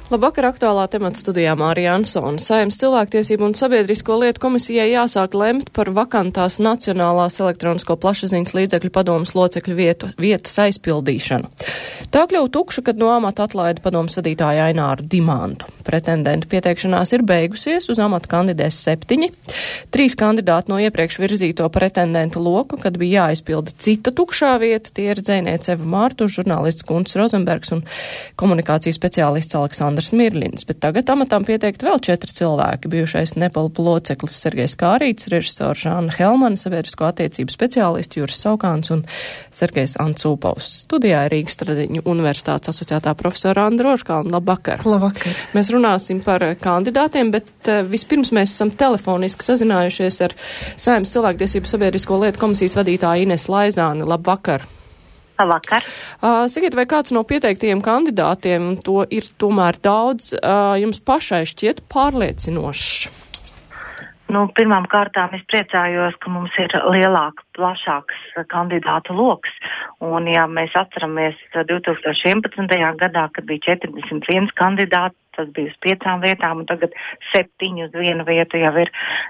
Labvakar, aktuālā temata studijā Mārija Ansone. Saeimas cilvēktiesību un sabiedrisko lietu komisijai jāsāk lemt par vakantās Nacionālās elektronisko plašsaziņas līdzekļu padomes locekļu vietas aizpildīšanu. Tā kļuva tukša, kad no amata atlaida padomes vadītāju Aināru Dimantu. Pretendentu pieteikšanās ir beigusies, uz amatu kandidēs 7. 3 kandidāti no iepriekš virzīto pretendentu loku, kad bija jāaizpilda cita tukšā vieta. Tie ir dzejniece Eva Mārtuša, žurnālists Gunts Rozenbergs un komunikācijas speciālists Aleksandrs Mirlins, bet tagad amatām pieteikti vēl 4 cilvēki. Bijušais Nepalpa loceklis Sergejs Kārīts, režisors Žāna Helmana, sabiedrisko attiecību speciālists Juris Saukāns un Sergejs Ancūpaus. Studijā ir Rīgas Tradiņu universitātes asociētā profesora Andra Rožkalna. Labvakar! Labvakar! Mēs runāsim par kandidātiem, bet vispirms mēs esam telefoniski sazinājušies ar Saeimas cilvēktiesību sabiedrisko lietu komisijas vadītāju Inesu Laizāni. Labvakar! Labvakar. Sakiet, vai kāds no pieteiktajiem kandidātiem, to ir tomēr daudz, jums pašai šķiet pārliecinošs? Pirmām kārtām es priecājos, ka mums ir plašāks kandidātu loks. Un, ja mēs atceramies 2011. gadā, kad bija 41 kandidāti, tas bija uz 5 vietām, un tagad 7 uz 1 vietu jau ir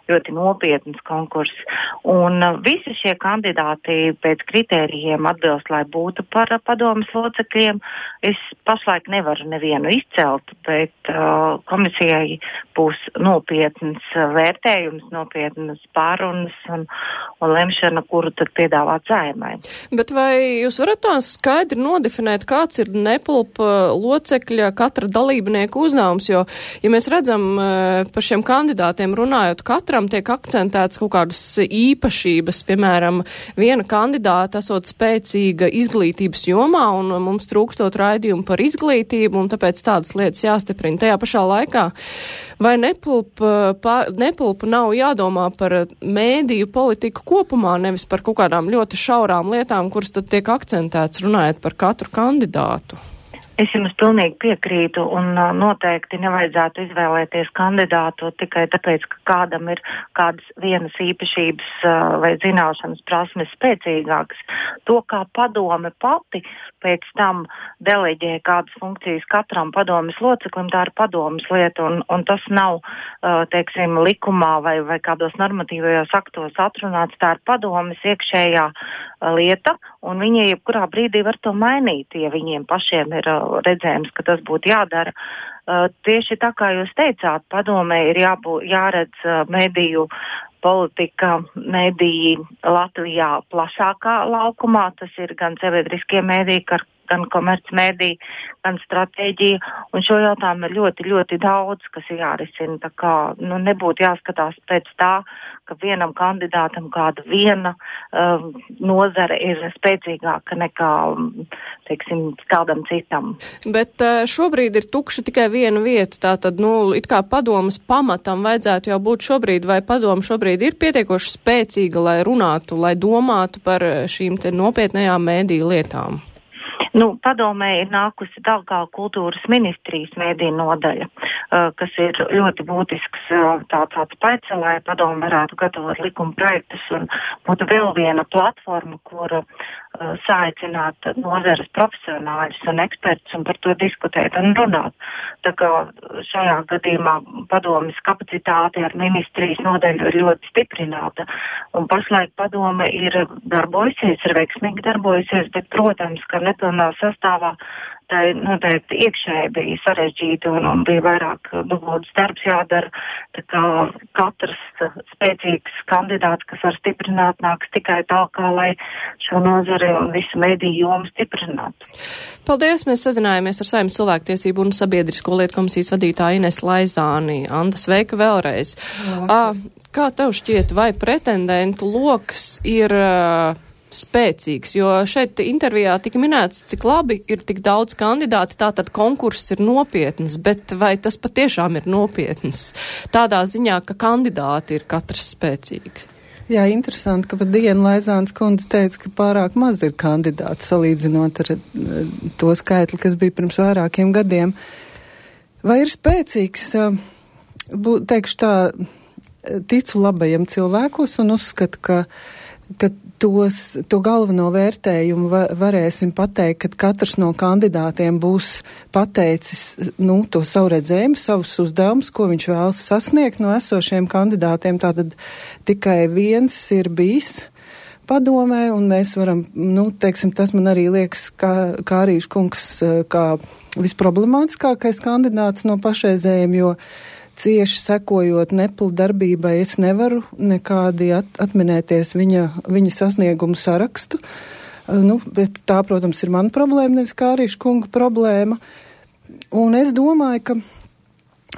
ļoti nopietns konkurss. Un visi šie kandidāti pēc kritērijiem atbilst, lai būtu par padomes locekļiem. Es pašlaik nevaru nevienu izcelt, bet komisijai būs nopietns vērtējums, nopietnas pārunas un lemšana, kuru tad piedāvāt Saeimai. Bet vai jūs varat tā skaidri nodefinēt, kāds ir Nepalpa locekļa katra dalībnieka uzdevums, jo, ja mēs redzam par šiem kandidātiem runājot, katram tiek akcentēts kaut kādas īpašības, piemēram, viena kandidāta esot spēcīga izglītības jomā un mums trūkstot raidījumu par izglītību un tāpēc tādas lietas jāstiprina. Tajā pašā laikā, vai Nepalpa nav jādomā par mēdīju politiku kopumā, nevis par kaut kādām ļoti šaurām lietām, kuras tad tiek akcentēts runājot par katru kandidātu? Es jums pilnīgi piekrītu un noteikti nevajadzētu izvēlēties kandidātu tikai tāpēc, ka kādam ir kādas vienas īpašības vai zināšanas prasmes spēcīgākas. To, kā padome pati pēc tam deleģē kādas funkcijas katram padomes loceklim, tā ir padomes lieta un tas nav, likumā vai kādos normatīvajos aktos atrunāts, tā ir padomes iekšējā lieta un viņi jebkurā brīdī var to mainīt, ja viņiem pašiem ir redzējums, ka tas būtu jādara. Tieši tā kā jūs teicāt, padomē ir jāredz mediju politika, mediji Latvijā plašākā laukumā. Tas ir gan sabiedriskie mediji, gan komercmediji, gan stratēģija. Un šo jautājumu ir ļoti, ļoti daudz, kas ir jārisina. Tā kā nebūtu jāskatās pēc tā, ka vienam kandidātam kāda viena nozare ir spēcīgāka nekā, kādam citam. Bet šobrīd ir tukša tikai viena vieta. Tātad, it kā padomas pamatam vajadzētu jau būt šobrīd, vai padoma šobrīd ir pietiekoši spēcīga, lai runātu, lai domātu par šīm te nopietnajām mēdīju lietām? Padomē ir nākusi tālāk kultūras ministrijas mēdīju nodaļa, kas ir ļoti būtisks tāds pēc, lai padome varētu gatavot likuma projektus un būtu vēl viena platforma, kur saaicināt nozares profesionāļus un ekspertus un par to diskutēt un runāt. Tā kā šajā gadījumā padomes kapacitāte ar ministrijas nodaļu ir ļoti stiprināta un pašlaik padome ir darbojusies, ir veiksmīgi darbojusies, bet, protams, ka nepilnā sastāvā tā noteikti iekšēji bija sarežģīta un bija vairāk dubultas darbs jādara. Tā kā katrs spēcīgs kandidāts, kas var stiprināt, nāks tikai tālāk, lai šo nozari un visu mediju jomu stiprinātu. Paldies! Mēs sazinājāmies ar Saeimas cilvēktiesību un sabiedrisko lietu komisijas vadītāju Inesu Laizāni. Anda, sveika vēlreiz. Kā tev šķiet, vai pretendentu loks ir spēcīgs, jo šeit intervijā tika minēts, cik labi ir tik daudz kandidāti, tātad konkurss ir nopietns, bet vai tas patiešām ir nopietns? Tādā ziņā, ka kandidāti ir katrs spēcīgi. Jā, interesanti, ka pat Diena Laizāns kundze teica, ka pārāk maz ir kandidātu salīdzinot ar to skaitli, kas bija pirms vairākiem gadiem. Vai ir spēcīgs, teikšu tā, ticu labajiem cilvēkos un uzskatu, ka ka to galveno vērtējumu varēsim pateikt, kad katrs no kandidātiem būs pateicis, to savu redzējumu, savus uzdevumus, ko viņš vēlas sasniegt no esošiem kandidātiem. Tātad tikai viens ir bijis padomē, un mēs varam, tas man arī liekas, kā Arīša kungs, kā visproblemātiskākais kandidāts no pašreizējiem, jo cieši sekojot Nepla darbībai, es nevaru nekādi atminēties viņa sasniegumu sarakstu. Bet tā, protams, ir mana problēma, nevis kā Arīša kunga problēma. Un es domāju, ka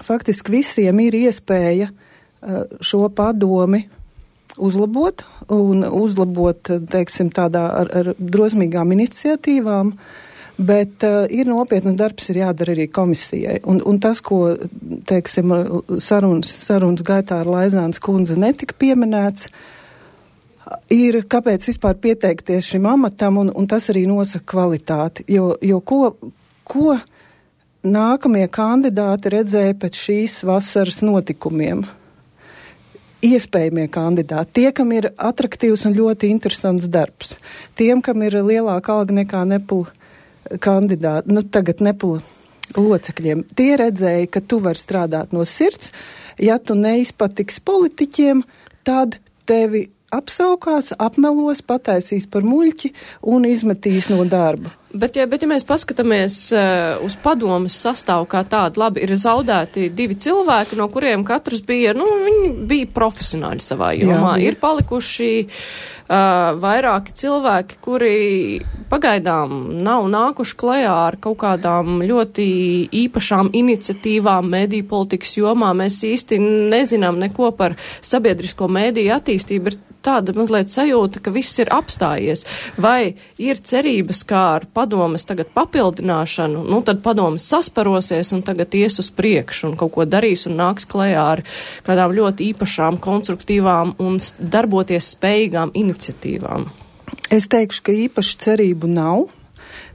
faktiski visiem ir iespēja šo padomi uzlabot, teiksim, tādā ar drosmīgām iniciatīvām, bet ir nopietnas darbs, ir jādara arī komisijai. Un tas, ko, teiksim, sarunas gaitā ar Laizānas kundzi netika pieminēts, ir, kāpēc vispār pieteikties šim amatam, un tas arī nosaka kvalitāti. Jo ko nākamie kandidāti redzēja pēc šīs vasaras notikumiem? Iespējamie kandidāti, tie, kam ir atraktīvs un ļoti interesants darbs, tiem, kam ir lielāka alga nekā Nepla kandidāti, tagad Nepla locekļiem, tie redzēja, ka tu vari strādāt no sirds, ja tu neizpatiks politiķiem, tad tevi apsaukās, apmelos, pataisīs par muļķi un izmetīs no darba. Bet ja mēs paskatāmies uz padomes sastāvu kā tādu, labi, ir zaudēti 2 cilvēki, no kuriem katrs bija, viņi bija profesionāļi savā jomā. Ir palikuši vairāki cilvēki, kuri pagaidām nav nākuši klajā ar kaut kādām ļoti īpašām iniciatīvām mediju politikas jomā. Mēs īsti nezinām neko par sabiedrisko mediju attīstību. Ir tāda mazliet sajūta, ka viss ir apstājies. Vai ir cerības, kā ar padomes tagad papildināšanu, tad padomes sasparosies un tagad ies uz priekšu un kaut ko darīs un nāks klajā ar kādām ļoti īpašām, konstruktīvām un darboties spējīgām iniciatīvām? Es teikšu, ka īpaši cerību nav,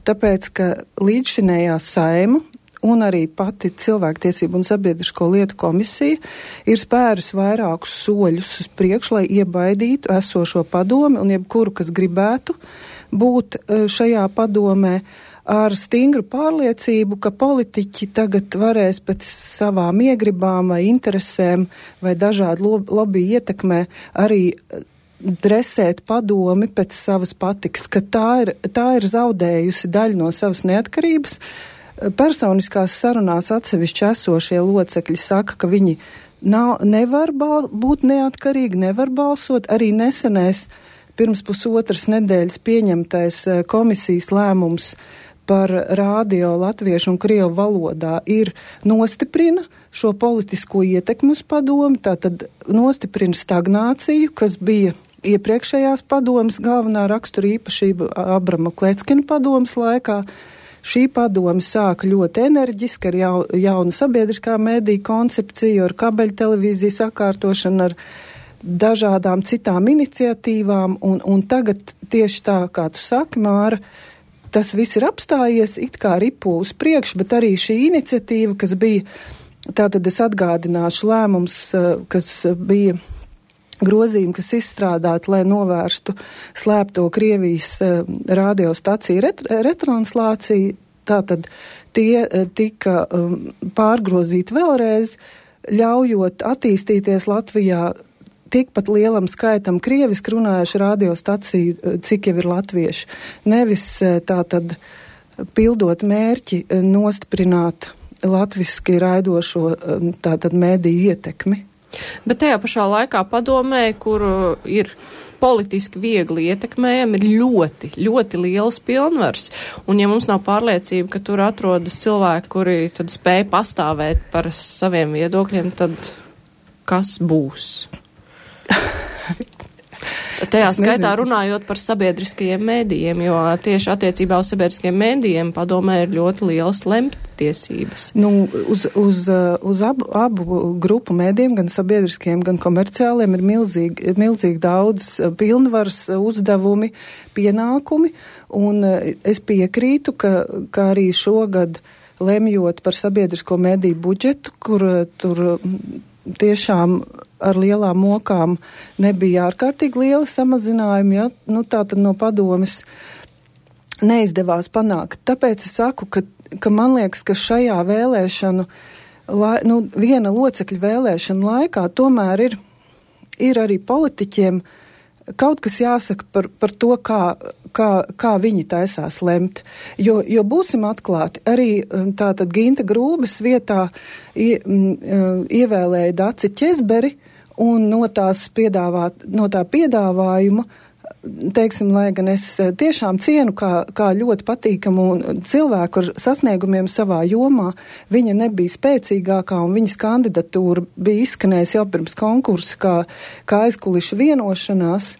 tāpēc, ka līdzšinējā Saeima un arī pati Cilvēktiesību un sabiedrisko lietu komisija ir spērus vairākus soļus uz priekšu, lai iebaidītu esošo padomi un jebkuru, kas gribētu būt šajā padomē, ar stingru pārliecību, ka politiķi tagad varēs pēc savām iegribām vai interesēm vai dažādu lobby ietekmē arī dresēt padomi pēc savas patikas, ka tā ir zaudējusi daļu no savas neatkarības. Personiskās sarunās atsevišķi esošie locekļi saka, ka viņi nevar būt neatkarīgi, nevar balsot. Arī nesenais pirms pusotras nedēļas pieņemtais komisijas lēmums par rādio latviešu un krievu valodā nostiprina šo politisko ietekmi uz padomi, tātad nostiprina stagnāciju, kas bija iepriekšējās padomas galvenā rakstura īpašība Abrama Kleckina padomas laikā. Šī padome sāka ļoti enerģiski ar jaunu sabiedriskā mediju koncepciju, ar kabeļtelevīziju sakārtošanu, ar dažādām citām iniciatīvām, un tagad tieši tā, kā tu saki, Māra, tas viss ir apstājies, it kā ripo uz priekšu, bet arī šī iniciatīva, kas bija, tātad es atgādināšu lēmums, kas bija grozījumi, kas izstrādāti, lai novērstu slēpto Krievijas radiostaciju retranslāciju. Tātad tie tika pārgrozīti vēlreiz, ļaujot attīstīties Latvijā tikpat lielam skaitam krieviski runājuši radiostaciju, cik jau ir latvieši. Nevis tātad pildot mērķi nostiprināt latviski raidošo tātad mediju ietekmi. Bet tajā pašā laikā padomē, kur ir politiski viegli ietekmējami, ir ļoti, ļoti liels pilnvars. Un ja mums nav pārliecība, ka tur atrodas cilvēki, kuri tad spēj pastāvēt par saviem viedokļiem, tad kas būs? Tajā skaitā runājot par sabiedriskajiem mēdījiem, jo tieši attiecībā uz sabiedriskajiem mēdījiem padomē ir ļoti lielas lemtiesības. Uz abu grupu mēdījiem, gan sabiedriskajiem, gan komerciāliem, ir milzīgi daudz pilnvaras, uzdevumi, pienākumi, un es piekrītu, ka arī šogad lemjot par sabiedrisko mēdīju budžetu, kur tur tiešām ar lielām mokām nebija ārkārtīgi liela samazinājuma, ja? Nu, tātad no padomes neizdevās panākt. Tāpēc es saku, ka man liekas, ka šajā vēlēšanu, viena locekļa vēlēšana laikā tomēr ir arī politiķiem kaut kas jāsaka par to, kā viņi taisās lemt. Jo būsim atklāti, arī tātad Ginta Grūbes vietā ievēlēja Daci Ķezberi un no tā piedāvājuma, teiksim, lai gan es tiešām cienu kā ļoti patīkamu cilvēku ar sasniegumiem savā jomā, viņa nebija spēcīgākā un viņas kandidatūra bija izskanējusi jau pirms konkursa kā aizkulišu vienošanās.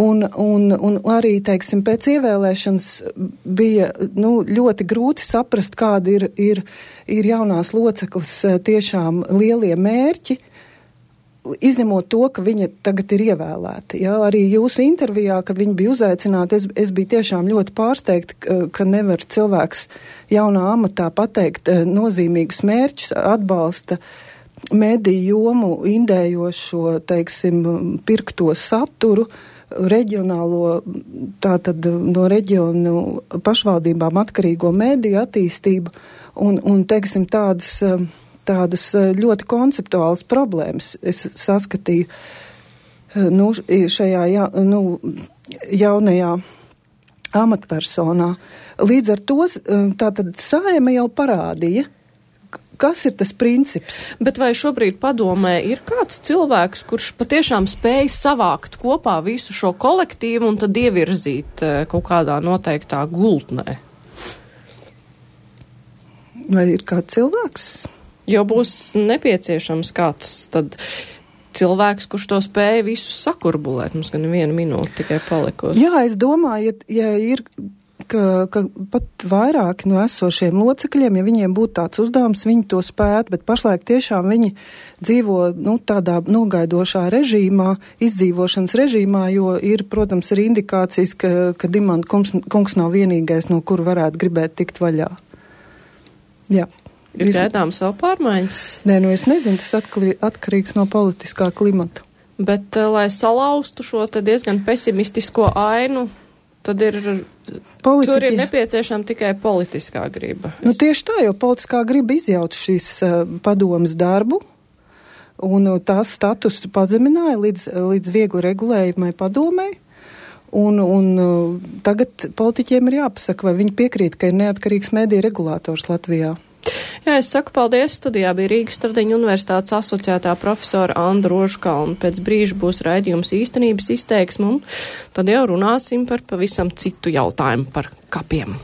Un arī, teiksim, pēc ievēlēšanas bija ļoti grūti saprast, kādi ir jaunās locekles tiešām lielie mērķi, izņemot to, ka viņa tagad ir ievēlēta. Ja? Arī jūsu intervijā, kad viņa bija uzaicināta, es biju tiešām ļoti pārsteigta, ka nevar cilvēks jaunā amatā pateikt nozīmīgus mērķus, atbalsta mediju jomu indējošo, teiksim, pirkto saturu, reģionālo, tātad no reģionu pašvaldībām atkarīgo mediju attīstību un teiksim, tādas ļoti konceptuālas problēmas es saskatīju šajā jaunajā amatpersonā. Līdz ar to tātad Saeima jau parādīja, kas ir tas princips. Bet vai šobrīd padomē ir kāds cilvēks, kurš patiešām spēj savākt kopā visu šo kolektīvu un tad ievirzīt kaut kādā noteiktā gultnē? Vai ir kāds cilvēks? Jo būs nepieciešams kāds tad cilvēks, kurš to spēja visu sakurbulēt. Mums gan 1 minūte tikai palikusi. Jā, es domāju, ja ir, ka pat vairāki no esošiem locekļiem, ja viņiem būtu tāds uzdevums, viņi to spētu, bet pašlaik tiešām viņi dzīvo tādā nogaidošā režīmā, izdzīvošanas režīmā, jo ir, protams, arī indikācijas, ka Dimanta kungs nav vienīgais, no kuru varētu gribēt tikt vaļā. Jā. Ir gaidāms vēl pārmaiņas? Nē, es nezinu, tas atkarīgs no politiskā klimata. Bet, lai salauztu šo te diezgan pesimistisko ainu, tad tur ir nepieciešama tikai politiskā griba. Tieši tā, jo politiskā griba izjaut šīs padomas darbu, un tās statusu pazemināja līdz viegli regulējumai padomei. Un tagad politiķiem ir jāpasaka, vai viņi piekrīt, ka ir neatkarīgs mediju regulators Latvijā. Jā, es saku paldies. Studijā bija Rīgas Stradiņu universitātes asociētā profesora Anda Rožkalna. Pēc brīža būs raidījums īstenības izteiksme, un tad jau runāsim par pavisam citu jautājumu par kapiem.